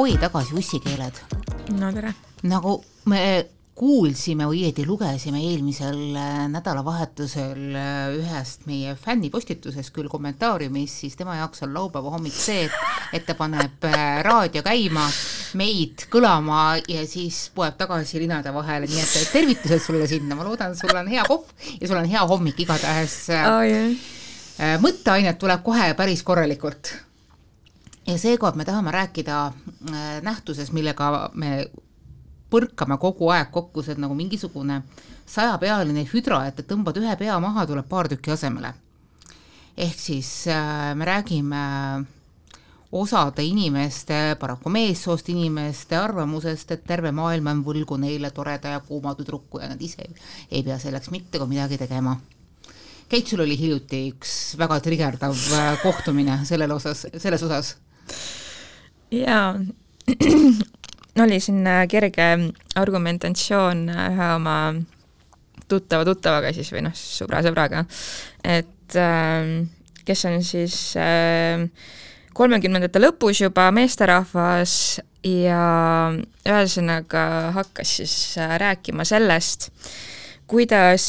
oi, tagasi ussikeeled. No tere. Nagu me kuulsime õieti lugesime eelmisel nädalavahetusel ühest meie fännipostitusest küll kommentaariumis, siis tema jaoks on laupäeva hommik see, et ta paneb raadio käima, meid kõlama ja siis poeb tagasi linade vahele, nii et tervitused sulle sinna, ma loodan, sul on hea kohv ja sul on hea hommik igatahes. Mõtteainet tuleb kohe päris korralikult. Ja seekord me tahame rääkida nähtuses, millega me põrkame kogu aeg kokku, see nagu mingisugune 100-pealine hüdra, et tõmbad ühe pea maha, tuleb paar tükki asemele. Ehk siis me räägime osade inimeste, paraku meessoost inimeste arvamusest, et terve maailm on võlgu neile toreda ja kuuma tüdruku ja nad ise ei pea selleks mitte kui midagi tegema. Keit, sul oli hiljuti üks väga trigerdav kohtumine selles osas. Jaa, oli siin kerge argumentatsioon ühe oma tuttavaga siis või sõbraga, et kes on siis 30. lõpus juba meesterahvas ja ühesõnaga hakkas siis rääkima sellest, kuidas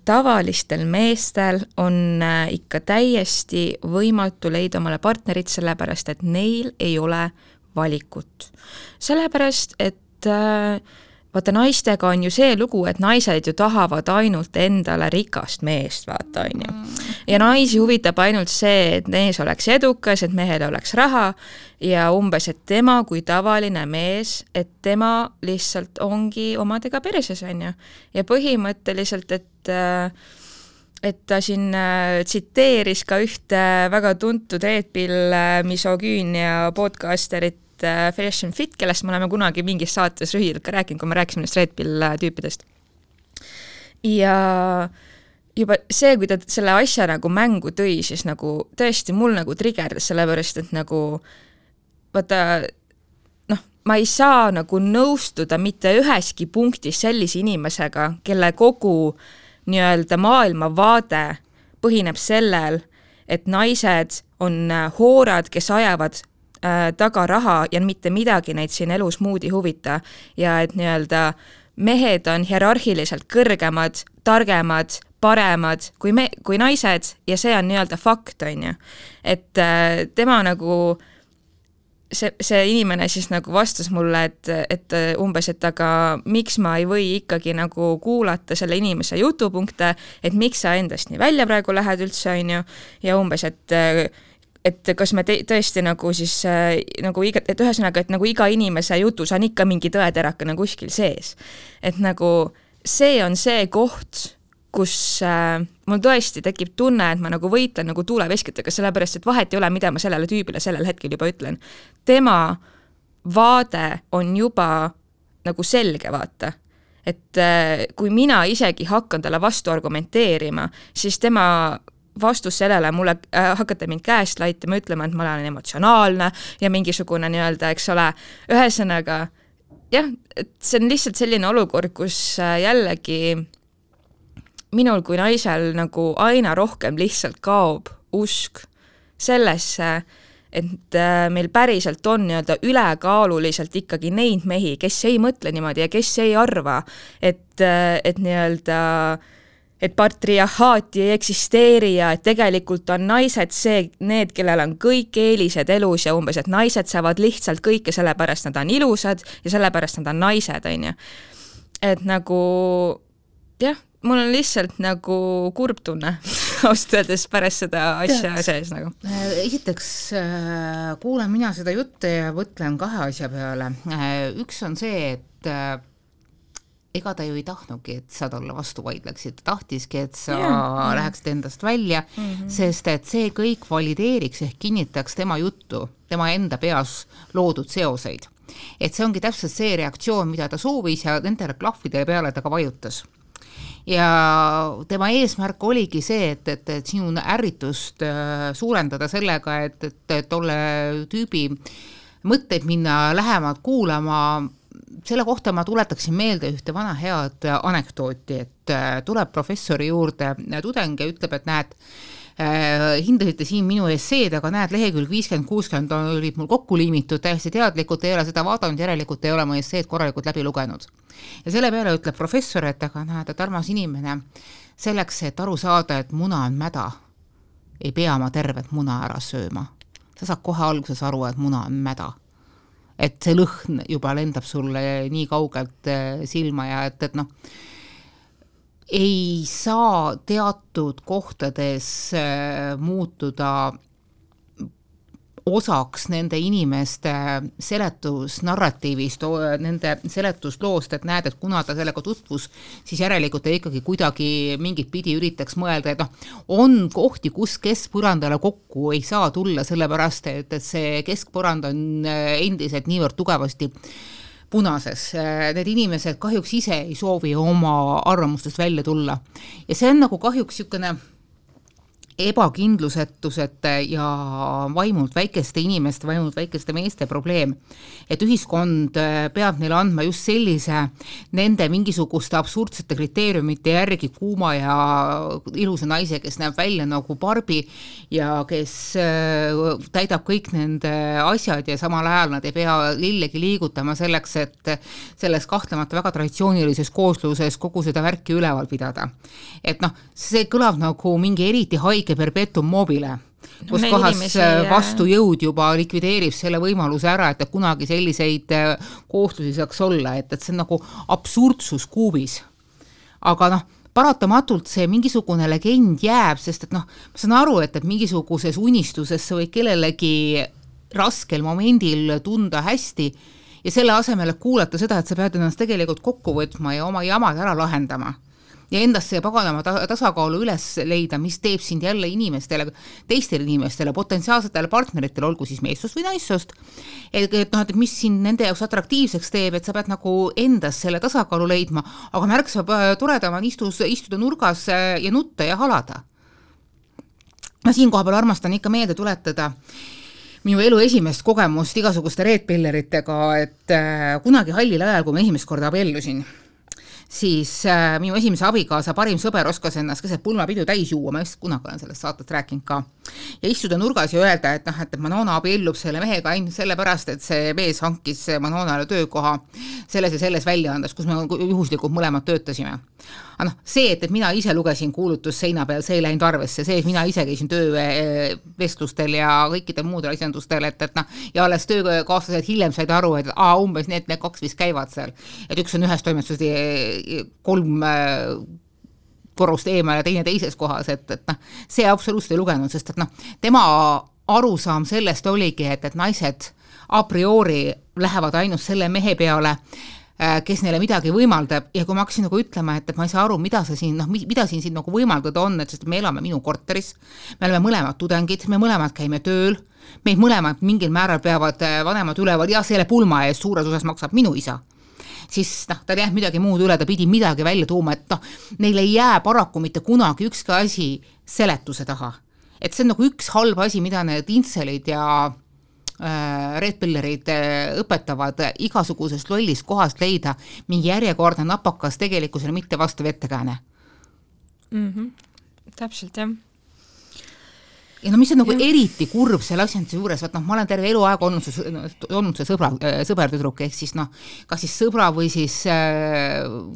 tavalistel meestel on ikka täiesti võimatu leida omale partnerit, sellepärast et neil ei ole valikut. Sellepärast, et vaata naistega on ju see lugu, et naised ju tahavad ainult endale rikast meest, vaata on ju. Ja naisi huvitab ainult see, et mees oleks edukas, et mehel oleks raha ja umbes, et tema kui tavaline mees, et tema lihtsalt ongi omadega perses on ju. Ja põhimõtteliselt, et ta siin tsiteeris ka ühte väga tuntud Red Pill misogüünia podcasterit Fresh and Fit, kellest me oleme kunagi mingis saates rühidelt ka rääkinud, kui me rääkisime nendest Red Pill tüüpidest. Ja juba see, kui ta selle asja nagu mängu tõi, siis nagu tõesti mul nagu trigerdas, sellepärast, et nagu vaata, ma ei saa nagu nõustuda mitte üheski punktis sellise inimesega, kelle kogu nii-öelda maailmavaade põhineb sellel, et naised on hoorad, kes ajavad taga raha ja mitte midagi neid siin elus muud ei huvita ja et nii-öelda mehed on hierarhiliselt kõrgemad, targemad, paremad kui naised ja see on nii-öelda fakt, on ju. Et tema nagu see inimene siis nagu vastas mulle, et umbes, et aga miks ma ei või ikkagi nagu kuulata selle inimese jutupunkte, et miks sa endast nii välja praegu lähed üldse, on ju, ja umbes, et kas me tõesti nagu siis nagu et ühesõnaga, et nagu iga inimese jutus on ikka mingi tõeteraka nagu kuskil sees. Et nagu see on see koht, kus mul tõesti tekib tunne, et ma nagu võitlen nagu tuuleveskitega, sellepärast, et vahet ei ole, mida ma sellele tüübile sellel hetkel juba ütlen. Tema vaade on juba nagu selge, vaata. Et kui mina isegi hakkan talle vastu argumenteerima, siis tema vastus sellele mulle hakata mind käest laitama, ütlema, et ma olen emotsionaalne ja mingisugune nii-öelda, eks ole, ühesõnaga, jah, et see on lihtsalt selline olukord, kus jällegi minul kui naisel nagu aina rohkem lihtsalt kaob usk sellesse, et meil päriselt on nii-öelda ülekaaluliselt ikkagi neid mehi, kes ei mõtle niimoodi ja kes ei arva, et nii-öelda et patriarhaati ei eksisteeri ja et tegelikult on naised need, kellel on kõik eelised elus ja umbes, et naised saavad lihtsalt kõike sellepärast nad on ilusad ja sellepärast nad on naised, on ju. Et nagu, jah, mul on lihtsalt nagu kurb tunne austöödes pärast seda asja sees nagu. Esiteks kuulen mina seda juttu ja võtlen kahe asja peale. Üks on see, et ega ta ju ei tahtnudki, et sa talle vastu vaidleksid. Ta tahtiski, et sa läheksid endast välja, sest et see kõik valideeriks ehk kinnitaks tema juttu, tema enda peas loodud seoseid. Et see ongi täpselt see reaktsioon, mida ta soovis ja nendele klahvide peale ta ka vajutas. Ja tema eesmärk oligi see, et sinu ärritust suurendada sellega, et tolle tüübi mõtteid minna lähemalt kuulama. Selle kohta ma tuletaksin meelde ühte vana head anekdooti, et tuleb professori juurde tudeng ja ütleb, et näed, hindasite siin minu esseed, aga näed, lehekülg 50-60 olid mul kokku liimitud, täiesti teadlikult ei ole seda vaadanud, järelikult ei ole mu esseed korralikult läbi lugenud. Ja selle peale ütleb professor, et aga näed, et armas inimene, selleks, et aru saada, et muna on mäda, ei pea ma tervet muna ära sööma. Sa saad kohe alguses aru, et muna on mäda. Et see lõhn juba lendab sulle nii kaugelt silma ja et noh, ei saa teatud kohtades muutuda osaks nende inimeste seletusnarratiivist, nende seletusloost, et näed, et kuna ta sellega tutvus, siis järelikult ta ikkagi kuidagi mingit pidi üritaks mõelda, et noh, on kohti, kus keskpõrandale kokku ei saa tulla, sellepärast, et see keskpõrand on endiselt niivõrd tugevasti punases. Need inimesed kahjuks ise ei soovi oma arvamustest välja tulla. Ja see on nagu kahjuks niisugune ebakindlusetusete ja vaimult väikeste inimeste, vaimult väikeste meeste probleem, et ühiskond peab neile andma just sellise nende mingisuguste absurdsete kriteeriumite järgi kuuma ja ilusa naise, kes näeb välja nagu Barbi ja kes täidab kõik nende asjad ja samal ajal nad ei pea lillegi liigutama selleks, et selles kahtlemata väga traditsioonilises koosluses kogu seda värki üleval pidada. Et noh, see kõlab nagu mingi eriti haige perpetuum mobile, kus kohas vastujõud juba likvideerib selle võimaluse ära, et kunagi selliseid kooslusi saaks olla, et see on nagu absurdsus kuubis. Aga noh, paratamatult see mingisugune legend jääb, sest et noh, ma saan aru, et mingisuguses unistuses sa võid kellelegi raskel momendil tunda hästi ja selle asemel kuulata seda, et sa pead ennast tegelikult kokku võtma ja oma jamad ära lahendama. Ja endast see paganama tasakaalu üles leida, mis teeb sind jälle inimestele, teistele inimestele, potentsiaalsetele partneritele, olgu siis meessust või naissust, et mis sind nende jaoks atraktiivseks teeb, et sa pead nagu endas selle tasakaalu leidma, aga märksa toredama istuda nurgas ja nutta ja halada. Ma siin kohapeal armastan ikka meelde tuletada minu elu esimest kogemust igasuguste reedpilleritega, et kunagi hallil ajal, kui ma esimest korda abiellusin, siis minu esimese abikaasa parim sõber oskas ennast keset pulmapidu täis juua, ma just kunagi olen sellest saatest rääkinud ka, ja istuda nurgas ja öelda, et Manona abiellub selle mehega ainult sellepärast, et see mees hankis Manonale töökoha selles ja selles väljaandes, kus me juhuslikult mõlemad töötasime. Aga noh, see, et mina ise lugesin kuulutus seina peal, see ei läinud arvesse, see, et mina ise käisin töövestlustel ja kõikidel muudel asjandustel, et noh, ja alles töökaaslased hiljem said aru, et umbes need kaks vist käivad seal, et üks on ühes toimetuses 3 korrust eemal ja teine teises kohas, et noh, see absoluutselt ei lugenud, sest et noh, tema arusaam sellest oligi, et naised a priori lähevad ainult selle mehe peale, kes neile midagi võimaldab ja kui ma hakkasin nagu ütlema, et ma ei saa aru, mida siin nagu võimaldada on, et sest me elame minu korteris, me oleme mõlemad tudengid, me mõlemad käime tööl, meid mõlemad mingil määral peavad vanemad üleval ja selle pulma eest suures osas maksab minu isa, siis noh, ta ei jäänud midagi muud üle, ta pidi midagi välja tuuma, et noh, neil ei jää paraku mitte kunagi ükski asi seletuse taha. Et see on nagu üks halb asi, mida need intselid ja redpillerid õpetavad igasugusest lollist kohast leida mingi järjekordne napakas tegelikkusele mitte vastav ettekääne. Täpselt, jah. Ja no mis on nagu eriti kurb selle asjanduse juures, et noh, ma olen terve eluaeg olnud see sõbertüdruk, ehk siis noh, kas siis sõbra või siis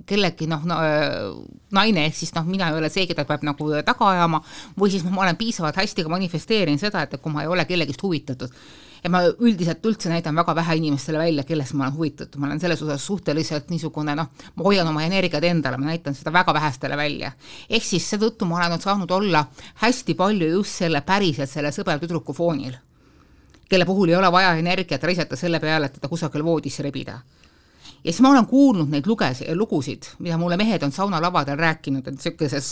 kellegi naine, ehk siis noh, mina ei ole see, keda peab nagu taga ajama, või siis ma olen piisavalt hästi ka manifesteerin seda, et kui ma ei ole kellegist huvitatud, ja ma üldiselt üldse näidan väga vähe inimestele välja, kellest ma olen huvitatud. Ma olen selles osas suhteliselt niisugune, noh, ma hoian oma energiat endale, ma näitan seda väga vähestele välja. Ehk siis seetõttu ma olen saanud olla hästi palju just selle päriselt selle sõbertüdruku foonil, kelle puhul ei ole vaja energiat reiseta selle peale, et teda kusagil voodisse rebida. Ja siis ma olen kuulnud neid lugusid, mida mulle mehed on saunalavadel rääkinud, et sellises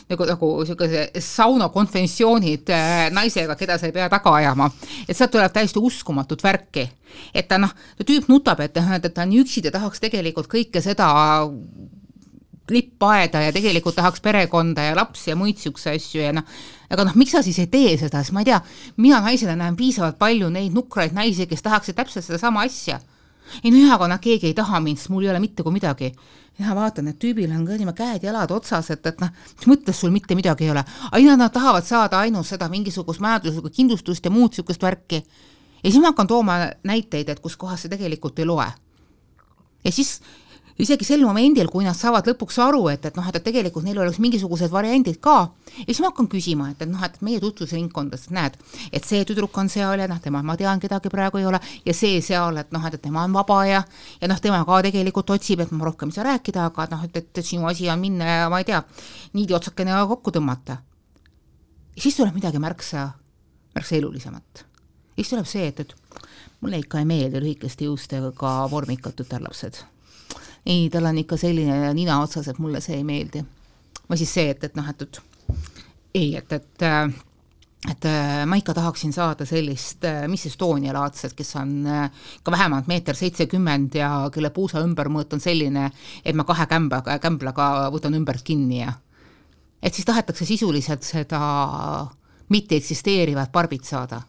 nagu saunakonventsioonid naisega, keda sa ei pea taga ajama. Et sealt tuleb täiesti uskumatut värki. Et ta tüüp nutab, et ta on üksid ja tahaks tegelikult kõike seda lippaeda ja tegelikult tahaks perekonda ja lapsi ja muid siukse asju ja aga miks sa siis ei tee seda, sest ma ei tea, mina naisele näen piisavalt palju neid nukraid naisi, kes tahaksid täpselt seda sama asja. ei no aga nad keegi ei taha mind, sest mul ei ole mitte kui midagi. Ja vaatan, et tüübil on kõnima käed jalad otsas, et mis mõttes sul mitte midagi ei ole. Aina nad tahavad saada ainult seda mingisugust majanduslikku kindlustust ja muud sükust värki. Ja siis ma hakkan tooma näiteid, et kus kohas see tegelikult ei loe. Ja siis isegi sel momendil, kui nad saavad lõpuks aru, et tegelikult neil oleks mingisugused variandid ka, ja siis ma hakkan küsima, et meie tutvusringkondades näed, et see tüdruk on seal ja tema, ma tean, kedagi praegu ei ole, ja see seal, et tema on vaba ja tema ka tegelikult otsib, et ma rohkem ei saa rääkida, aga et sinu asi on minna ja ma ei tea, niidi otsakene kokku tõmmata. Ja siis tuleb midagi märksa elulisemat. Ja siis tuleb see, et mulle ikka ei meeldi lühikeste juustega vormikatud tärlapsed. Ei, tal on ikka selline nina otsas, et mulle see ei meeldi. Või siis see, et ma ikka tahaksin saada sellist Miss Estonia laadset, kes on ka vähemalt 1,70 m ja kelle puusa ümbermõõt on selline, et ma 2 kämblaga võtan ümbert kinni ja et siis tahetakse sisuliselt seda mitte eksisteerivat barbit saada.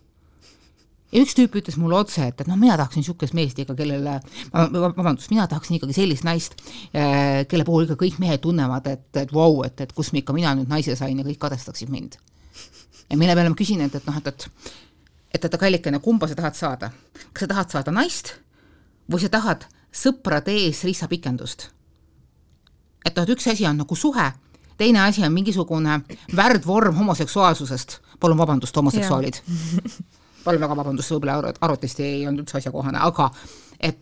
Ja üks tüüp ütles mulle otse, et mina tahaksin niisugust meest ikka, kellele, mina tahaksin ikkagi sellist naist, kelle puhul ikka kõik mehed tunnevad, et vau, et kus mina nüüd naise sain ja kõik kadestaksid mind. Ja mille peale ma küsin, et kallikene, kumba sa tahad saada? Kas sa tahad saada naist või sa tahad sõprade ees rissapikendust? Et üks asi on nagu suhe, teine asi on mingisugune värdvorm homoseksuaalsusest. Palun vabandust, homoseksuaalid. Palun väga vabandust, võib-olla arvutisti ei olnud üldse asjakohane, aga et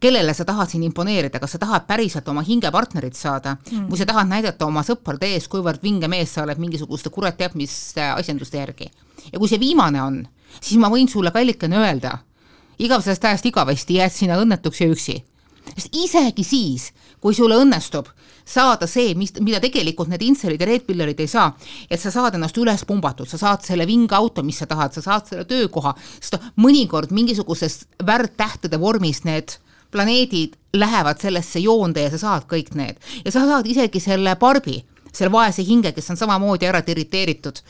kellele sa tahad siin imponeerida, kas sa tahad päriselt oma hingepartnerit saada või sa tahad näidata oma sõprade ees, kuivõrd vinge mees sa oled mingisuguste kurat teab mis asjanduste järgi. Ja kui see viimane on, siis ma võin sulle kallikene öelda, igavesest ajast igavesti jääd sina õnnetuks ja üksi. Sest isegi siis, kui sulle õnnestub saada see, mida tegelikult need inselid ja reedpillerid ei saa, et sa saad ennast üles pumbatud, sa saad selle vinge auto, mis sa tahad, sa saad selle töökoha, sest mõnikord mingisugusest värdtähtede vormist need planeedid lähevad sellesse joonde ja sa saad kõik need. Ja sa saad isegi selle barbi, selle vaese hinge, kes on samamoodi ära irriteeritud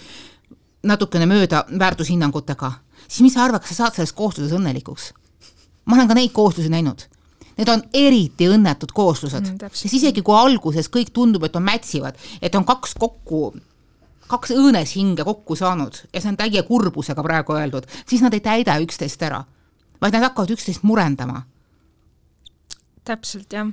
natukene mööda väärtushinnangutega, siis mis sa arvad, kas sa saad selles koosluses õnnelikuks? Ma olen ka neid kooslusi näinud. Need on eriti õnnetud kooslused. Sest isegi kui alguses kõik tundub, et on mätsivad, et on kaks õõnes hinge kokku saanud ja see on täie kurbusega praegu öeldud, siis nad ei täida üksteist ära, vaid nad hakkavad üksteist murendama. Täpselt, jah.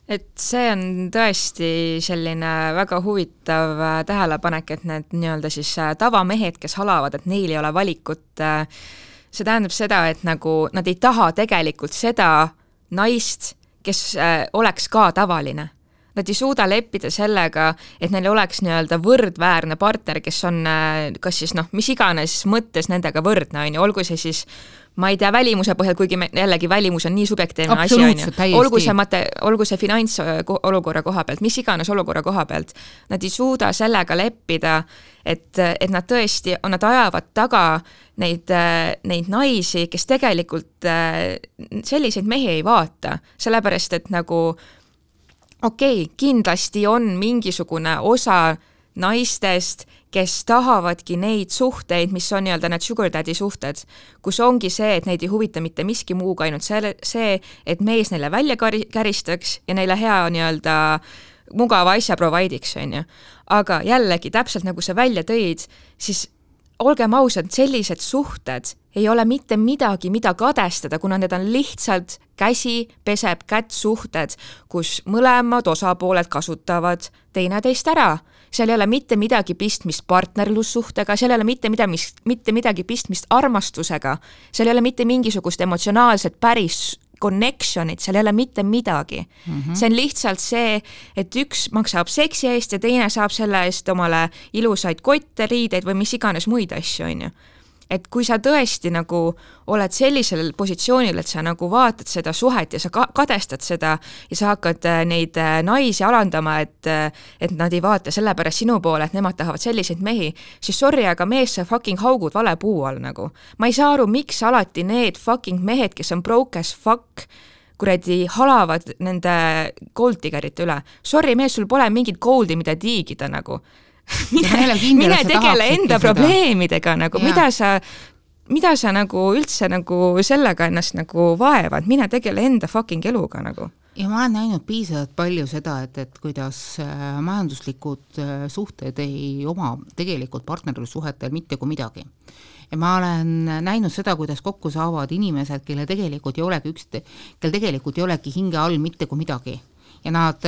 Et see on tõesti selline väga huvitav tähelepanek, et need nii-öelda siis tavamehed, kes halavad, et neil ei ole valikut, see tähendab seda, et nagu nad ei taha tegelikult seda naist, kes oleks ka tavaline. Nad ei suuda leppida sellega, et neil oleks nii-öelda võrdväärne partner, kes on kas siis mis iganes mõttes nendega võrdne, olgu see siis ma ei tea välimuse põhjal, kuigi jällegi välimus on nii subjektiivne asi, olgu see finantsolukorra koha pealt, mis iganes olukorra koha pealt, nad ei suuda sellega leppida, et nad tõesti, nad ajavad taga neid naisi, kes tegelikult selliseid mehi ei vaata, sellepärast, et nagu kindlasti on mingisugune osa naistest, kes tahavadki neid suhteid, mis on nii-öelda need sugar daddy suhted, kus ongi see, et neid ei huvita mitte miski muuga, ainult see, et mees neile välja käristaks ja neile hea nii-öelda mugava asja provide'iks, on ju. Aga jällegi, täpselt nagu sa välja tõid, siis olgem ausad, sellised suhted ei ole mitte midagi, mida kadestada, kuna need on lihtsalt käsi peseb kätt suhted, kus mõlemad osapooled kasutavad teineteist ära. Seal ei ole mitte midagi pistmist partnerlussuhtega, seal ei ole mitte midagi pistmist armastusega, seal ei ole mitte mingisugust emotsionaalset päris connectionit, seal ei ole mitte midagi. See on lihtsalt see, et üks maksab seksi eest ja teine saab selle eest omale ilusaid kotte, riideid või mis iganes muid asju, on ju. Et kui sa tõesti nagu oled sellisel positsioonil, et sa nagu vaatad seda suhet ja sa kadestad seda ja sa hakkad neid naisi alandama, et nad ei vaata sellepärast sinu poole, et nemad tahavad selliseid mehi, siis sorry, aga mees sa fucking haugud vale puu all nagu. Ma ei saa aru, miks alati need fucking mehed, kes on broke as fuck, kuradi halavad nende gold diggerite üle. Sorry, mees, sul pole mingit goldi, mida tiigida nagu. Mine tegele enda probleemidega, nagu, mida sa mida sa nagu üldse nagu sellega ennast nagu vaevad, mine tegele enda fucking eluga nagu. Ja ma olen näinud piisavalt palju seda, et kuidas majanduslikud suhted ei oma tegelikult partnerlussuhetel mitte kui midagi. Ja ma olen näinud seda, kuidas kokku saavad inimesed, kelle tegelikult ei olegi hinge all mitte kui midagi. Ja nad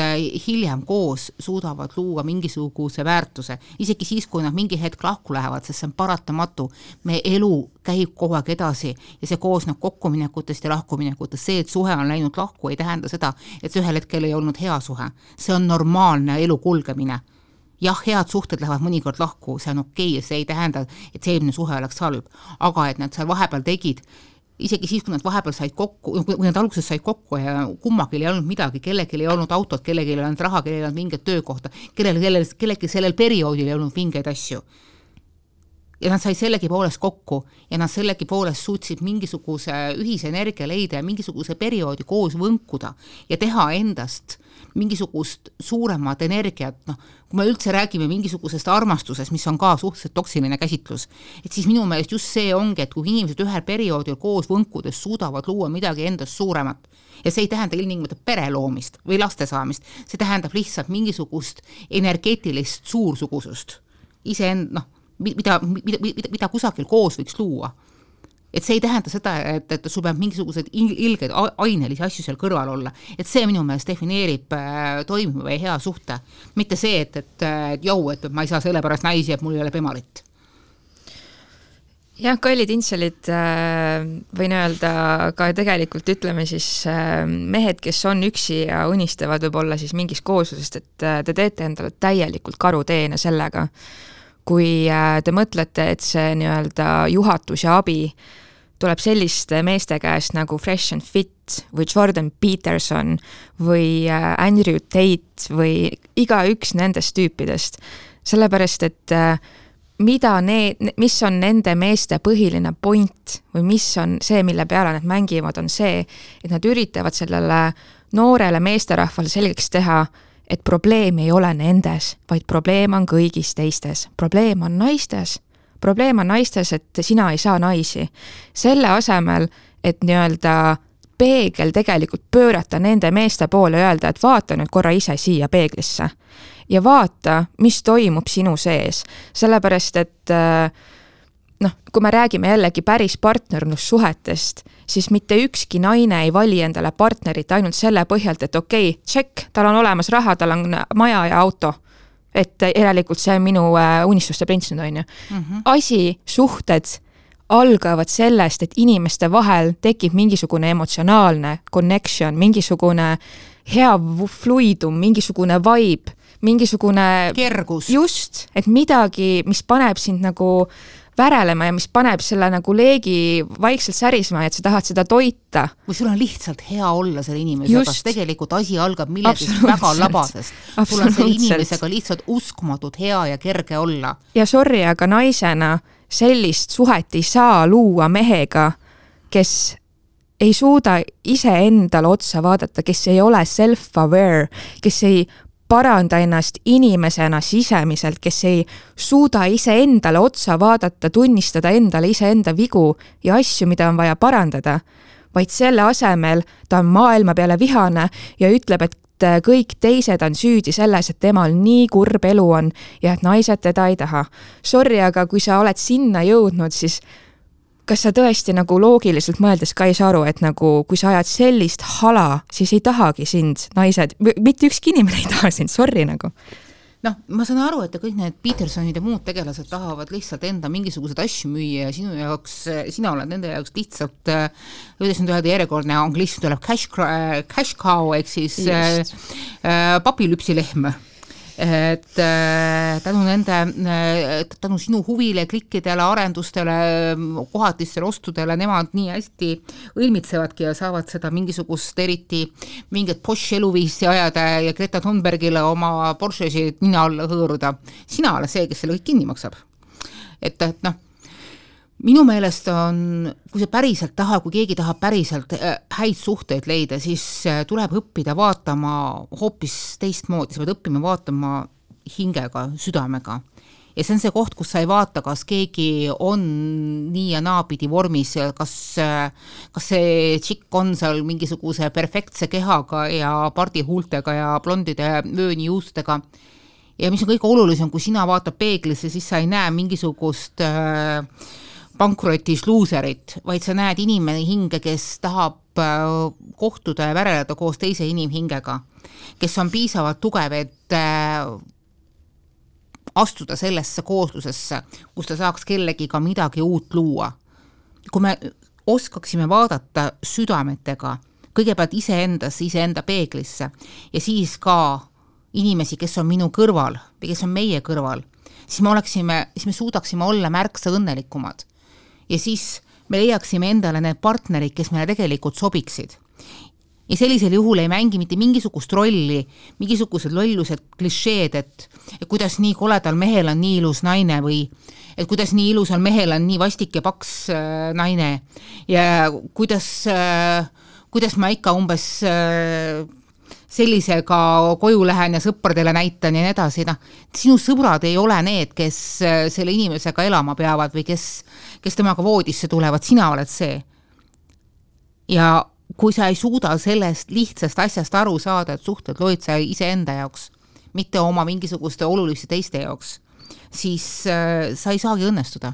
hiljem koos suudavad luua mingisuguse väärtuse, isegi siis, kui nad mingi hetk lahku lähevad, sest see on paratamatu. Me elu käib kogu aeg edasi ja see koosneb kokkuminekutest ja lahkuminekutest. See, et suhe on läinud lahku, ei tähenda seda, et see ühel hetkel ei olnud hea suhe. See on normaalne elu kulgemine. Jah, head suhted lähevad mõnikord lahku, see on okei, see ei tähenda, et see eelmine suhe oleks halb, aga et nad seal vahepeal tegid, isegi siis, kui nad vahepeal said kokku, kui nad alguses said kokku ja kummagil ei olnud midagi, kellelgi ei olnud autot, kellelgi ei olnud raha, kellelgi ei olnud mingit töökohta, kellelgi sellel perioodil ei olnud mingeid asju. Ja nad said sellegi poolest kokku ja nad sellegi poolest suutsid mingisuguse ühise energia leida ja mingisuguse perioodi koos võnkuda ja teha endast mingisugust suuremat energiat, kui me üldse räägime mingisugusest armastusest, mis on ka suhteliselt toksiline käsitlus, et siis minu meelest just see ongi, et kui inimesed ühel perioodil koos võnkudes suudavad luua midagi endast suuremat ja see ei tähenda ilmtingimata pere loomist või laste saamist, see tähendab lihtsalt mingisugust energeetilist suursugusust mida kusagil koos võiks luua. Et see ei tähenda seda, et sul peab mingisugused ilged ainelisi asju seal kõrval olla. Et see minu meelest defineerib toimiva või hea suhte. Mitte see, et ma ei saa selle pärast naisi, et mul ei ole pemarit. Jah, kallid intselid, võin öelda ka tegelikult ütleme siis mehed, kes on üksi ja unistavad võib-olla siis mingis kooslusest, et te teete endale täielikult karuteene sellega, kui te mõtlete, et see nii-öelda juhatus ja abi tuleb selliste meeste käest nagu Fresh and Fit või Jordan Peterson või Andrew Tate või igaüks nendest tüüpidest. Sellepärast, et mis on nende meeste põhiline point või mis on see, mille peale nad mängivad, on see, et nad üritavad sellele noorele meesterahvale selgeks teha, et probleem ei ole nendes, vaid probleem on kõigis teistes. Probleem on naistes. Probleem on naistes, et sina ei saa naisi. Selle asemel, et nii-öelda peegel tegelikult pöörata nende meeste poole ja öelda, et vaata nüüd korra ise siia peeglisse ja vaata, mis toimub sinu sees. Sellepärast, et kui me räägime jällegi päris partnerlussuhetest, siis mitte ükski naine ei vali endale partnerit ainult selle põhjalt, et okei, check, tal on olemas raha, tal on maja ja auto. Et järelikult see on minu unistuste prints nüüd on ju. Asi, suhted algavad sellest, et inimeste vahel tekib mingisugune emotsionaalne connection, mingisugune hea fluidum, mingisugune vibe, mingisugune kergus. Just, et midagi, mis paneb sind nagu värelema ja mis paneb selle nagu leegi vaikselt särisma, et sa tahad seda toita. Või sul on lihtsalt hea olla selle inimesega, kas tegelikult asi algab millegist väga labasest. Sul on selle inimesega lihtsalt uskumatult hea ja kerge olla. Ja sorry, aga naisena sellist suhet ei saa luua mehega, kes ei suuda ise endale otsa vaadata, kes ei ole self-aware, kes ei paranda ennast inimesena sisemiselt, kes ei suuda ise endale otsa vaadata, tunnistada endale ise enda vigu ja asju, mida on vaja parandada, vaid selle asemel ta on maailma peale vihane ja ütleb, et kõik teised on süüdi selles, et temal nii kurb elu on ja et naised teda ei taha. Sorry, aga kui sa oled sinna jõudnud, siis kas sa tõesti nagu loogiliselt mõeldes ka ei saa aru, et nagu kui sa ajad sellist hala, siis ei tahagi sind naised, mitte ükski inimene ei taha sind, sorry nagu. Ma saan aru, et kõik need Petersonid ja muud tegelased tahavad lihtsalt enda mingisugused asju müüa ja sina oled nende jaoks lihtsalt, kuidas nüüd öelda järjekordne anglism tuleb cash cow, ehk siis papilüpsilehm. Et tänu sinu huvile, klikkidele, arendustele, kohatistele ostudele, nemad nii hästi õilmitsevadki ja saavad seda mingisugust eriti mingit Porsche eluviisi ajada ja Greta Thunbergile oma Porschesid nina alla hõõruda. Sina ole see, kes selle kõik kinni maksab. Et minu meelest on, kui see päriselt kui keegi tahab päriselt häid suhteid leida, siis tuleb õppida vaatama hoopis teistmoodi, sa pead õppima vaatama hingega, südamega ja see on see koht, kus sa ei vaata, kas keegi on nii ja naapidi vormis, kas see tšikk on seal mingisuguse perfektse kehaga ja pardihuultega ja blondide vöönijuustega. Ja mis on kõige olulisem, kui sina vaatad peeglisse, siis sa ei näe mingisugust pankrotis luuserit, vaid sa näed inimene hinge, kes tahab kohtuda ja väreleda koos teise inimhingega, kes on piisavalt tugev, et astuda sellesse kooslusesse, kus ta saaks kellegiga midagi uut luua. Kui me oskaksime vaadata südametega, kõigepealt iseenda peeglisse ja siis ka inimesi, kes on minu kõrval või kes on meie kõrval, siis me suudaksime olla märksa õnnelikumad. Ja siis me leiaksime endale need partnerid, kes meile tegelikult sobiksid. Ja sellisel juhul ei mängi mitte mingisugust rolli, mingisugused lollused klišeed, et kuidas nii koledal mehel on nii ilus naine või et kuidas nii ilusal mehel on nii vastik ja paks naine ja kuidas ma ikka umbes sellisega koju lähen ja sõpradele näitan ja nii edasi. Sinu sõbrad ei ole need, kes selle inimesega elama peavad või kes temaga voodisse tulevad, sina oled see. Ja kui sa ei suuda sellest lihtsast asjast aru saada, et suhted loid sa iseenda jaoks, mitte oma mingisuguste oluliste teiste jaoks, siis sa ei saagi õnnestuda.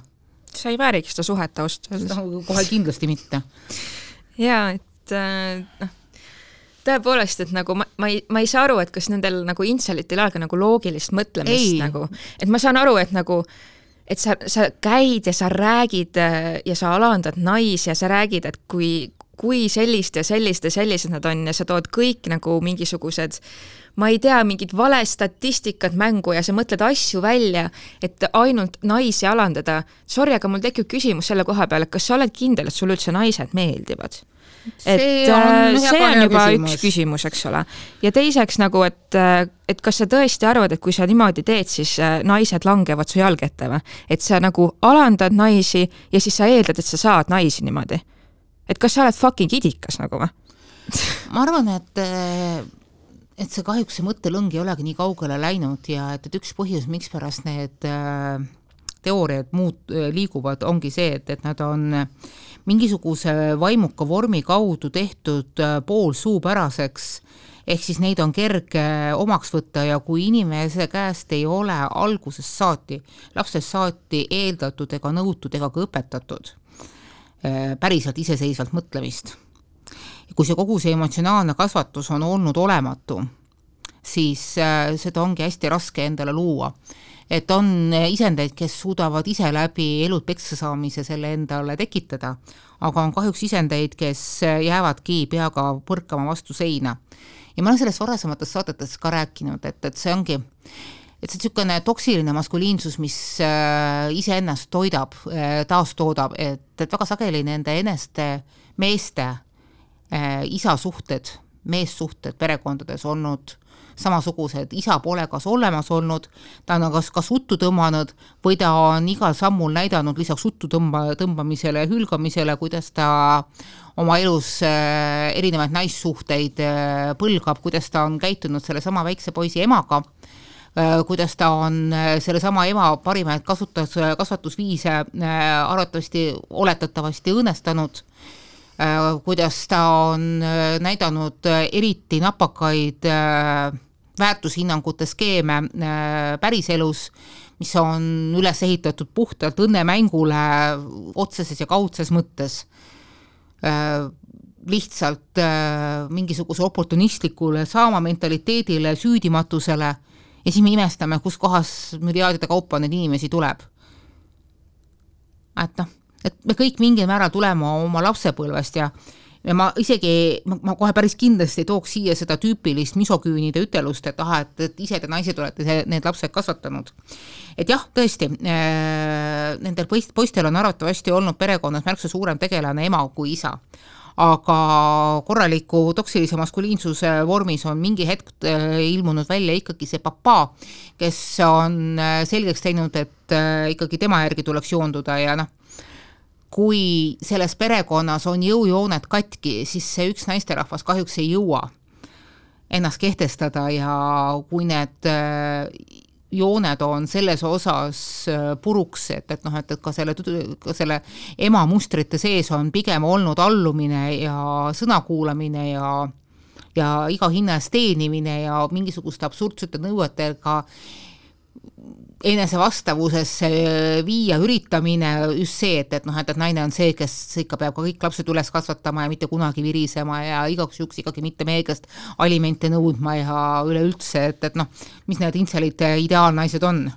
Sa ei väärigi seda suhet austada. Kohe kindlasti mitte. Jaa, et tõepoolest, et nagu ma ei saa aru, et kas nendel nagu intselitil aega nagu loogilist mõtlemist nagu, et ma saan aru, et nagu et sa käid ja sa räägid ja sa alandad naisi ja sa räägid, et kui sellist ja sellised nad on ja sa tood kõik nagu mingisugused, ma ei tea, mingid vale statistikat mängu ja sa mõtled asju välja, et ainult naisi alandada. Sorry, aga mul tekib küsimus selle koha peale, kas sa oled kindel, et sul üldse naised meeldivad? See on juba üks küsimus, eks ole. Ja teiseks nagu, et kas sa tõesti arvad, et kui sa niimoodi teed, siis naised langevad su jalg ette või? Et sa nagu alandad naisi ja siis sa eeldad, et sa saad naisi niimoodi. Et kas sa oled fucking idikas nagu või? Ma arvan, et see kahjuks see mõttelõng ei olegi nii kaugele läinud ja et üks põhjus, miks pärast need teooriad liiguvad, ongi see, et nad on mingisuguse vaimuka vormi kaudu tehtud pool suupäraseks, ehk siis neid on kerge omaks võtta ja kui inimese käest ei ole algusest saati, lapsest saati eeldatud ega nõutud ega ka õpetatud päriselt iseseisvalt mõtlemist. Kui see kogu see emotsionaalne kasvatus on olnud olematu, siis seda ongi hästi raske endale luua. Et on isendeid, kes suudavad ise läbi elud peksa saamise selle endale tekitada, aga on kahjuks isendeid, kes jäävadki peaga põrkama vastu seina. Ja ma olen sellest varasematest saadetes ka rääkinud, et see ongi, et see niisugune toksiline maskuliinsus, mis iseennast toidab, taastoodab, et väga sageli nende eneste meeste isasuhted, meessuhted perekondades olnud samasugused, isa pole kas olemas olnud, ta on kas uttu tõmmanud või ta on igal sammul näidanud lisaks uttu tõmbamisele ja hülgamisele, kuidas ta oma elus erinevaid naissuhteid põlgab, kuidas ta on käitunud selle sama väikse poisi emaga, kuidas ta on selle sama ema parimaid kasvatusviise arvatavasti oletatavasti õõnestanud, kuidas ta on näidanud eriti napakaid väärtushinnangute skeeme päriselus, mis on üles ehitatud puhtalt õnnemängule otseses ja kaudses mõttes. Lihtsalt mingisuguse oportunistlikule saama mentaliteedile, süüdimatusele ja siis me imestame, kus kohas müriaadide kaupa neid inimesi tuleb. Et me kõik mingil määral tuleme oma lapsepõlvest ja ma kohe päris kindlasti tooks siia seda tüüpilist misoküünide ütelust, et ise te naised olete need lapsed kasvatanud. Et jah, tõesti, nendel poistel on arvatavasti olnud perekonnas märksa suurem tegelane ema kui isa. Aga korraliku toksilise maskuliinsuse vormis on mingi hetk ilmunud välja ikkagi see papa, kes on selgeks teinud, et ikkagi tema järgi tuleks joonduda ja kui selles perekonnas on jõujoonet katki, siis see üks naisterahvas kahjuks ei jõua ennast kehtestada ja kui need jooned on selles osas puruks, et ka selle ema mustrite sees on pigem olnud allumine ja sõnakuulamine ja iga hinna eest teenimine ja mingisuguste absurdsete nõuetega enese vastavusesse viia üritamine just see, et naine on see, kes ikka peab ka kõik lapsed üles kasvatama ja mitte kunagi virisema ja igaks juks ikkagi mitte meie käest alimente nõudma ja üleüldse, et mis need intselid ideaalnaised on.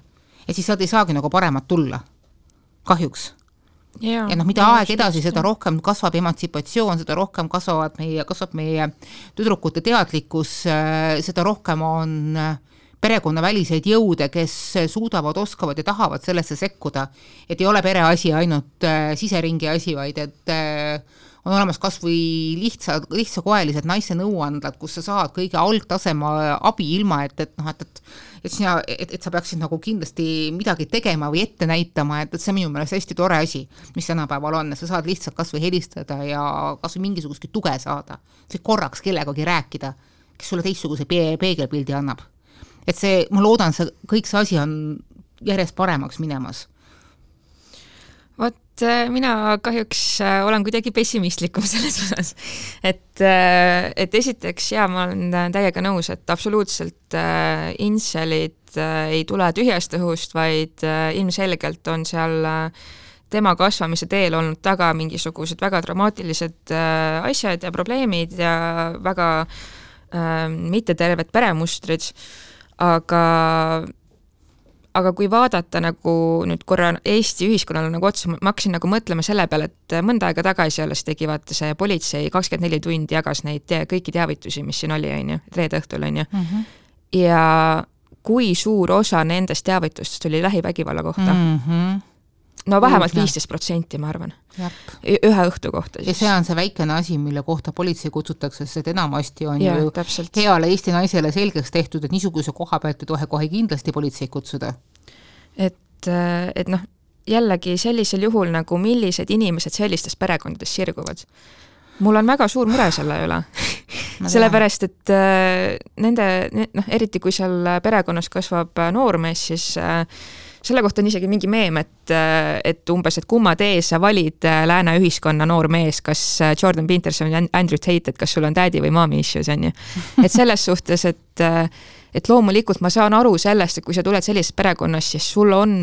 Ja siis sealt ei saagi nagu paremat tulla. Kahjuks. Ja mida aeg edasi, seda rohkem kasvab emantsipatsioon, seda rohkem kasvab meie tüdrukute teadlikkus, seda rohkem on perekonnaväliseid jõude, kes suudavad, oskavad ja tahavad sellesse sekkuda, et ei ole pere asi ainult siseringi asi, vaid et on olemas kas või lihtsakoelised naiste nõuandlad, kus sa saad kõige algtasema abi ilma, et sa peaksid nagu kindlasti midagi tegema või ette näitama, et see minu meelest hästi tore asi, mis tänapäeval on, sa saad lihtsalt kas või helistada ja kas või mingisugustki tuge saada, see korraks kellegagi rääkida, kes sulle teistsuguse peegelpildi annab. Et see, ma loodan, kõik see asi on järjest paremaks minemas. Vot mina kahjuks olen kuidagi pessimistlikum selles osas, et esiteks ma olen täiega nõus, et absoluutselt inselid ei tule tühjast õhust, vaid ilmselgelt on seal tema kasvamise teel olnud taga mingisugused väga dramaatilised asjad ja probleemid ja väga mitteterved peremustrid. Aga kui vaadata nagu nüüd korra Eesti ühiskonnale nagu otsa, ma hakkasin nagu mõtlema selle peale, et mõnda aega tagasi alles tegi vaata see politsei 24 tundi jagas neid kõiki teavitusi, mis siin oli, reede õhtul, ja kui suur osa nendest teavitustest oli lähivägivalla kohta. No vähemalt 15%, ma arvan. Ühe õhtu kohta siis. Ja see on see väikene asi, mille kohta politsei kutsutakse, sest enamasti on ju heale Eesti naisele selgeks tehtud, et niisuguse koha pealt ei tohe kohe kindlasti politsei kutsuda. Et jällegi sellisel juhul nagu millised inimesed sellistes perekondades sirguvad. Mul on väga suur mure selle üle. Sellepärast, et eriti kui seal perekonnas kasvab noormees, siis selle kohta on isegi mingi meem, et umbes, et kumma tee sa valid lääne ühiskonna noor mees, kas Jordan Peterson või Andrew Tate, et kas sul on daddy või mommy issues, on ju. Et selles suhtes, et loomulikult ma saan aru sellest, et kui sa tuled sellisest perekonnas, siis sul on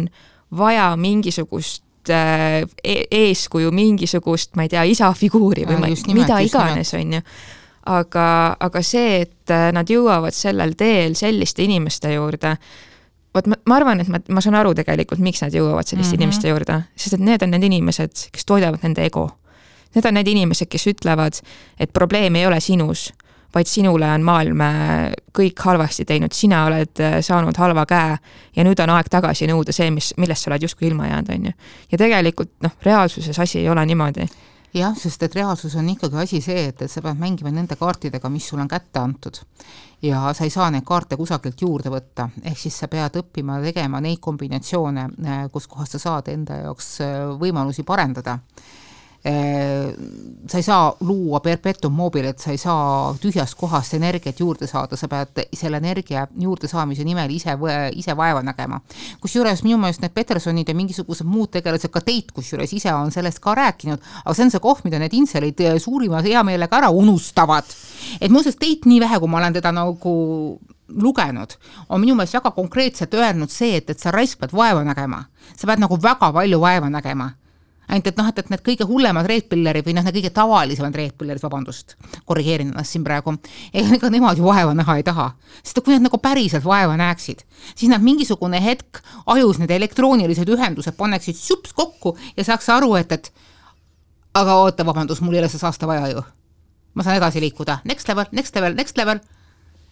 vaja mingisugust eeskuju, mingisugust, ma ei tea, isafiguuri või mida iganes, on ju. Aga see, et nad jõuavad sellel teel selliste inimeste juurde, ma arvan, et ma saan aru tegelikult, miks nad jõuavad selliste inimeste juurde, sest et need on need inimesed, kes toidavad nende ego. Need on need inimesed, kes ütlevad, et probleem ei ole sinus, vaid sinule on maailm kõik halvasti teinud, sina oled saanud halva käe ja nüüd on aeg tagasi nõuda see, millest sa oled justkui ilma jäänud, on ju. Ja tegelikult reaalsuses asi ei ole niimoodi. Jah, sest et reaalsus on ikkagi asi see, et sa pead mängima nende kaartidega, mis sul on kätte antud. Ja sa ei saa neid kaarte kusagilt juurde võtta. Ehk siis sa pead õppima tegema neid kombinatsioone, kus kohas sa saad enda jaoks võimalusi parendada. Sa ei saa luua perpetuum mobile, et sa ei saa tühjast kohast energiat juurde saada, sa pead selle energia juurde saamise nimel ise vaeva nägema. Kusjuures minu meelest need Petersonid ja mingisugused muud tegelased, ka Teit, kusjuures ise on sellest ka rääkinud, aga see on see koht, mida need inselid suurima hea meelega ära unustavad. Et muuseas Teit nii vähe, kui ma olen teda nagu lugenud, on minu meelest väga konkreetselt öelnud see, et sa raisk pead vaeva nägema. Sa pead nagu väga palju vaeva nägema. Ainult, et need kõige hullemad reetpillerid või need kõige tavalisemad reetpillerid, vabandust, korrigeerin ennast siin praegu, ega nemad ju vaeva näha ei taha. Sest kui nad nagu päriselt vaeva näeksid, siis nad mingisugune hetk ajus need elektroonilised ühendused paneksid sups kokku ja saaks aru, et aga oota, vabandust, mul ei ole see saasta vaja ju. Ma saan edasi liikuda. Next level.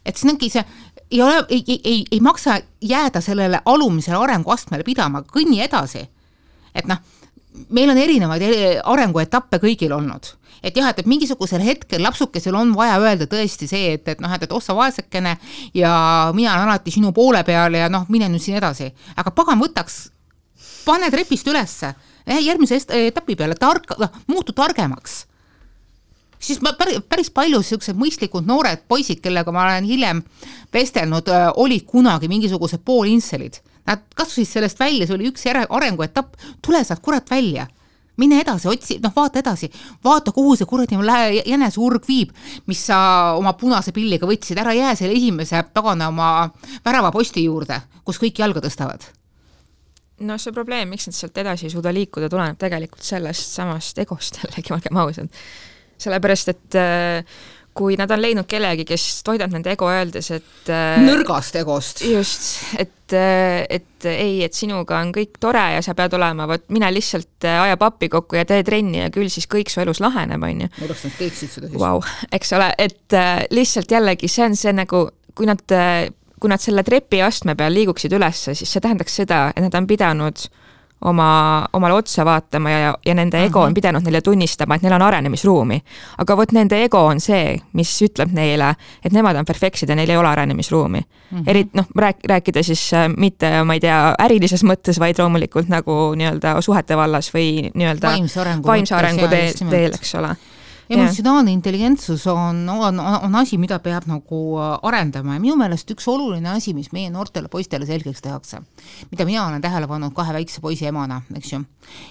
Et see ei maksa jääda sellele alumisele arenguastmele pidama, kõnni edasi. Et meil on erinevaid arenguetappe kõigil olnud. Et jah, et mingisugusel hetkel lapsukesel on vaja öelda tõesti see, et ossa vaesekene ja mina olen alati sinu poole peal ja mine nüüd siin edasi. Aga pagan võtaks, pane trepist ülesse, järgmise etapi peale, muutu targemaks. siis päris palju sellised mõistlikud noored poisid, kellega ma olen hiljem vestelnud, olid kunagi mingisugused poolinselid. Nad kasvasid sellest välja, see oli üks arenguetapp, tule saad kurat välja. Mine edasi, otsi, vaata edasi, vaata, kuhu see kuradi jänesurg viib, mis sa oma punase pilliga võtsid, ära jää selle esimese tagana oma väravaposti juurde, kus kõik jalga tõstavad. No see probleem, miks nad sealt edasi ei suuda liikuda, tuleneb tegelikult sellest samast egost jällegi, olgem ausad. Sellepärast, et kui nad on leidnud kellegi, kes toidab nende ego öeldes, et nõrgast egost. Just, et ei, et sinuga on kõik tore ja sa pead olema, mine lihtsalt aja pappi kokku ja tee trenni ja küll siis kõik su elus laheneb, on ju. Kuidas nad teeksid seda siis? Wow, eks ole, et lihtsalt jällegi see on see nagu, kui nad selle trepi astme peal liiguksid ülesse, siis see tähendaks seda, et nad on pidanud omale otsa vaatama ja nende ego on pidanud neile tunnistama, et neil on arenemisruumi. Aga vot nende ego on see, mis ütleb neile, et nemad on perfektsid ja neil ei ole arenemisruumi. Rääkida siis mitte, ma ei tea, ärilises mõttes, vaid loomulikult nagu nii-öelda suhete vallas või nii-öelda vaimse arengu teel, eks ole. Emotsionaalne intelligentsus on asi, mida peab nagu arendama ja minu meelest üks oluline asi, mis meie noortele poistele selgeks tehakse, mida mina olen tähele pannud 2 väikse poisi emana, eks ju,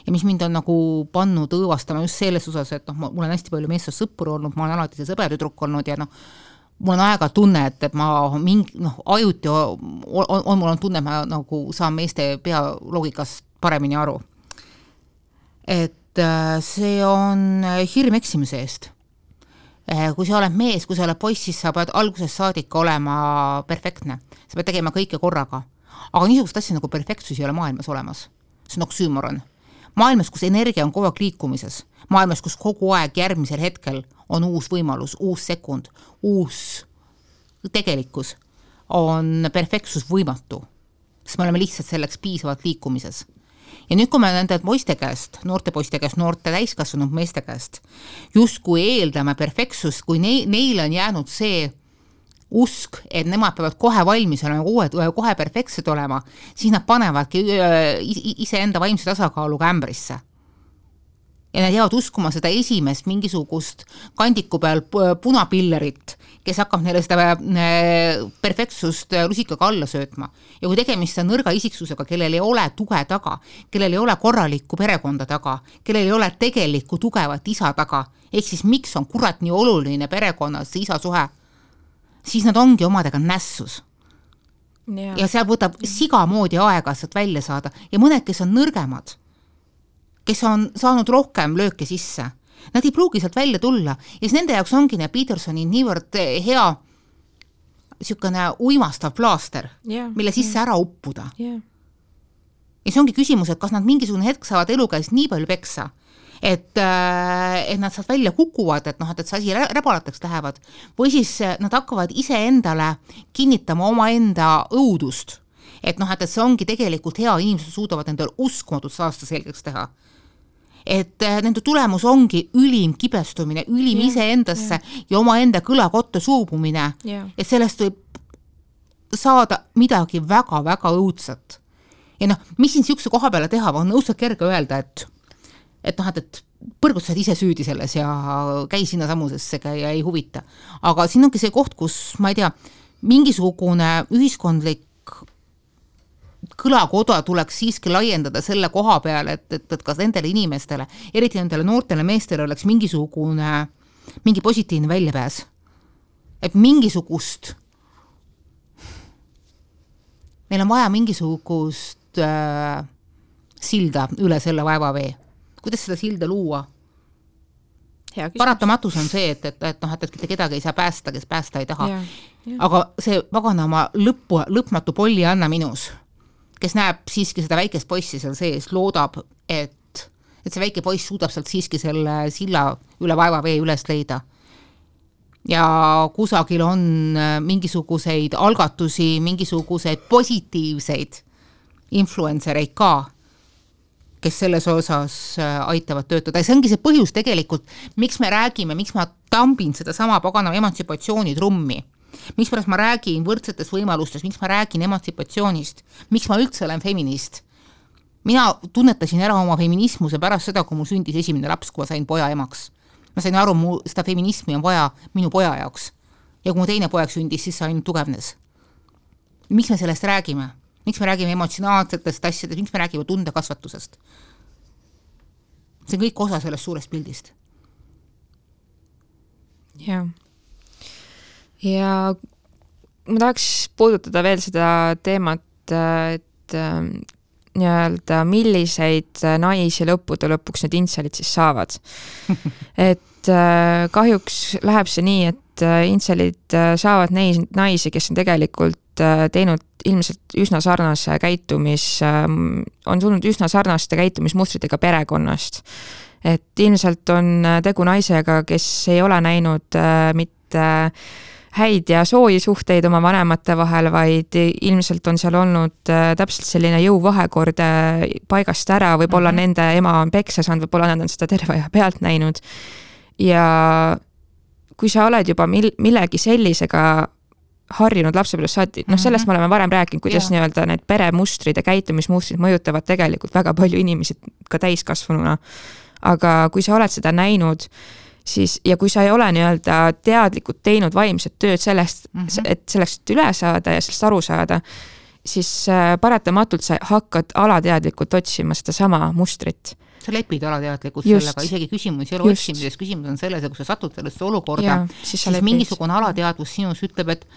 ja mis mind on nagu pannud õõvastama just selles osas, et mul on hästi palju meestest sõppur olnud, ma olen alati see sõbertüdruk olnud ja mul on aega tunne, et ma ajuti mul on tunne, et ma nagu saan meeste pealoogikast paremini aru. Et see on hirm eksimise eest. Kui sa oled mees, kui sa oled poiss, siis sa pead algusest saadik olema perfektne. Sa pead tegema kõike korraga. Aga niisugust asja nagu perfektsus ei ole maailmas olemas. See on oksüümoron. Maailmas, kus energia on kogu aeg liikumises. Maailmas, kus kogu aeg järgmisel hetkel on uus võimalus, uus sekund, uus tegelikkus, on perfektsus võimatu. Sest me oleme lihtsalt selleks piisavalt liikumises. Ja nüüd, kui me nende poiste käest, noorte poiste käest, noorte täiskasvanud meeste käest, just kui eeldame perfektsust, kui neile on jäänud see usk, et nemad peavad kohe valmis olema, kohe perfektsed olema, siis nad panevadki iseenda vaimse tasakaaluga ämbrisse. Ja nad jäävad uskuma seda esimest mingisugust kandiku peal punapillerit, kes hakkab neile seda perfektsust lusikaga alla söötma. Ja kui tegemist on nõrga isiksusega, kellel ei ole tuge taga, kellel ei ole korralikku perekonda taga, kellel ei ole tegelikku tugevat isa taga, ehk siis miks on kurat nii oluline perekonnas see isa suhe, siis nad ongi omadega nässus. Ja seal võtab siga moodi aega sealt välja saada ja mõned, kes on nõrgemad, kes on saanud rohkem lööke sisse, nad ei pruugi sealt välja tulla ja siis nende jaoks ongi Petersoni niivõrd hea niisugune uimastav plaaster, mille sisse ära uppuda. Ja see ongi küsimus, et kas nad mingisugune hetk saavad elu käes nii palju peksa, et nad saavad välja kukuvad, et see asi räbalateks lähevad, või siis nad hakkavad iseendale kinnitama omaenda õudust, et see ongi tegelikult hea, inimesed suudavad endale uskumatut saasta selgeks teha. Et nende tulemus ongi ülim kibestumine, ülim iseendasse ja omaenda kõlakotte suubumine, et sellest võib saada midagi väga-väga õudset. Ja mis siin siukse koha peale teha, on õudselt kerge öelda, et põrgutsed ise süüdi selles ja käi sinna samusesse ja ei huvita. Aga siin ongi see koht, kus, ma ei tea, mingisugune ühiskondlik kõlakoda tuleks siiski laiendada selle koha peale, et kas nendele inimestele, eriti nendele noortele meestele oleks mingi positiivne väljapääs. Et mingisugust, meil on vaja mingisugust silda üle selle vaevavee. Kuidas seda silda luua? Paratamatus on see, et kedagi ei saa päästa, kes päästa ei taha. Aga see vaganama lõpmatu polli anna minus, kes näeb siiski seda väikest poissi seal sees, loodab, et see väike poiss suudab sealt siiski selle silla üle vaevavee üles leida. Ja kusagil on mingisuguseid algatusi, mingisuguseid positiivseid influencereid ka, kes selles osas aitavad töötada. Ja see ongi see põhjus tegelikult, miks me räägime, miks ma tambin seda sama paganama emantsipatsiooni trummi. Miks pärast ma räägin võrdsetes võimalustes, miks ma räägin emantsipatsioonist, miks ma üldse olen feminist. Mina tunnetasin ära oma feminismuse pärast seda, kui mul sündis esimene laps, kui ma sain poja emaks. ma sain aru, seda feminismi on vaja minu poja jaoks. Ja kui mu teine poeg sündis, siis see ainult tugevnes. Miks me sellest räägime? Miks me räägime emotsionaalsetest asjadest? Miks me räägime tundekasvatusest? See on kõik osa sellest suurest pildist. Ja ma tahaks puudutada veel seda teemat, et nii-öelda milliseid naisi lõpuks need intselid siis saavad. Et kahjuks läheb see nii, et intselid saavad naisi, kes on tegelikult teinud ilmselt üsna sarnase on tulnud üsna sarnaste käitumismustritega perekonnast. Et ilmselt on tegu naisega, kes ei ole näinud mitte häid ja sooji suhteid oma vanemate vahel, vaid ilmselt on seal olnud täpselt selline jõuvahekord paigast ära, võib-olla nende ema on peksa saanud, võib-olla nad on seda terve aja pealt näinud. Ja kui sa oled juba millegi sellisega harjunud lapsepõlvest saati, sellest me oleme varem rääkinud, kuidas nii-öelda need peremustrid ja käitumismustrid mõjutavad tegelikult väga palju inimesi ka täiskasvanuna. Aga kui sa oled seda näinud, siis, ja kui sa ei ole nii-öelda teadlikult teinud vaimset tööd sellest, et selleks üle saada ja sellest aru saada, siis paratamatult sa hakkad alateadlikult otsima seda sama mustrit. Sa lepid alateadlikult sellega, isegi küsimus ei ole otsimises, küsimus on selles, et kui sa satud sellesse olukorda, siis mingisugune alateadvus sinus ütleb, et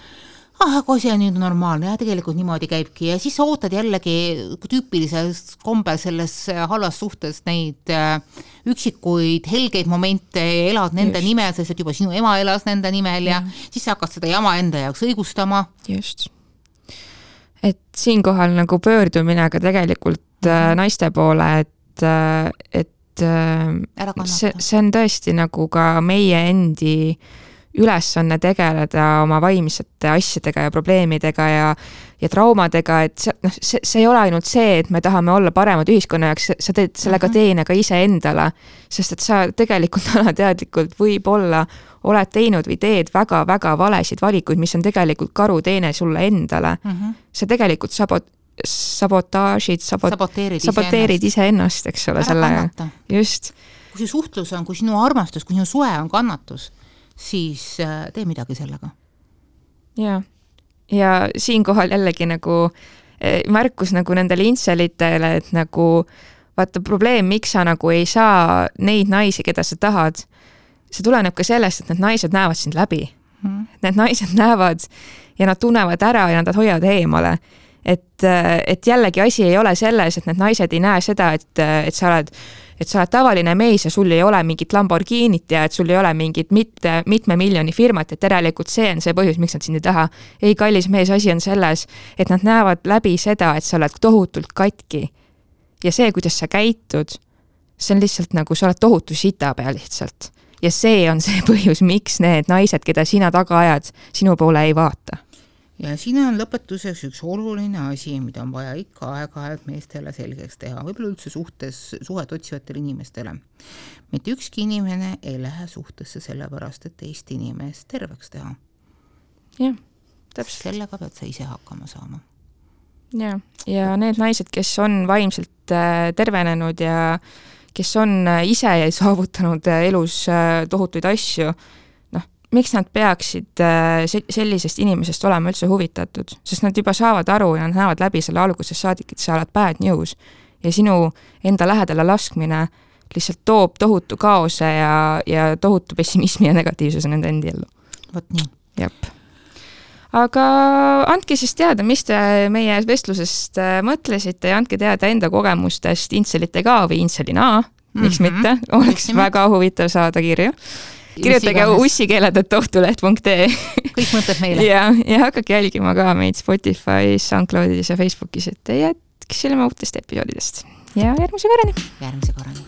aga see on nüüd normaalne ja tegelikult niimoodi käibki ja siis sa ootad jällegi tüüpilises kombel selles halvas suhtes neid üksikuid helgeid momente ja elad nende nimel, sest et juba sinu ema elas nende nimel ja siis sa hakkad seda jama enda jaoks õigustama. Just. Et siinkohal nagu pöördumine ka tegelikult naiste poole, et see on tõesti nagu ka meie endi ülesanne tegeleda oma vaimsete asjadega ja probleemidega ja traumadega, et see ei ole ainult see, et me tahame olla paremad ühiskonna jaoks, sa teed sellega teene ka ise endale, sest et sa tegelikult alateadlikult võib-olla oled teinud või teed väga-väga valesid valikuid, mis on tegelikult karuteene sulle endale. See tegelikult saboteerid iseennast, eks ole. Just. Kui see suhtlus on, kui sinu armastus, kui sinu suhe on kannatus, siis tee midagi sellega. Ja siinkohal jällegi nagu märkus nagu nendele intselitele, et nagu vaata probleem, miks sa nagu ei saa neid naisi, keda sa tahad, see tuleneb ka sellest, et need naised näevad sind läbi. Need naised näevad ja nad tunnevad ära ja nad hoiavad eemale. Et jällegi asi ei ole selles, et need naised ei näe seda, et sa oled tavaline mees ja sul ei ole mingit Lamborghinit ja et sul ei ole mingit mitme miljoni firmat, et järelikult see on see põhjus, miks nad sind ei taha. Ei, kallis mees, asi on selles, et nad näevad läbi seda, et sa oled tohutult katki. Ja see, kuidas sa käitud, see on lihtsalt nagu sa oled tohutu sita peal lihtsalt. Ja see on see põhjus, miks need naised, keda sina taga ajad, sinu poole ei vaata. Ja siin on lõpetuseks üks oluline asi, mida on vaja ikka aeg-ajalt meestele selgeks teha, võib-olla üldse suhet otsivatele inimestele. Mitte ükski inimene ei lähe suhtesse sellepärast, et teist inimest terveks teha. Jah, täpselt. Sellega pead sa ise hakkama saama. Ja need naised, kes on vaimselt tervenenud ja kes on ise saavutanud elus tohutuid asju, miks nad peaksid sellisest inimesest olema üldse huvitatud, sest nad juba saavad aru ja nad näevad läbi selle alguses saadik, et sa oled bad news ja sinu enda lähedale laskmine lihtsalt toob tohutu kaose ja tohutu pessimismi ja negatiivsuse nende endi ellu. Võt nii. Jep. Aga andke siis teada, mis te meie vestlusest mõtlesite ja andke teada enda kogemustest intselitega või intselina, miks mitte, oleks väga huvitav saada kirju. Kirjutage ussikeeled@ohtuleht.ee Kõik mõtled meile. Ja hakake jälgima ka meid Spotify's, SoundCloudis ja Facebookis, et jätkisime uutest episoodidest. Ja järgmise korrani.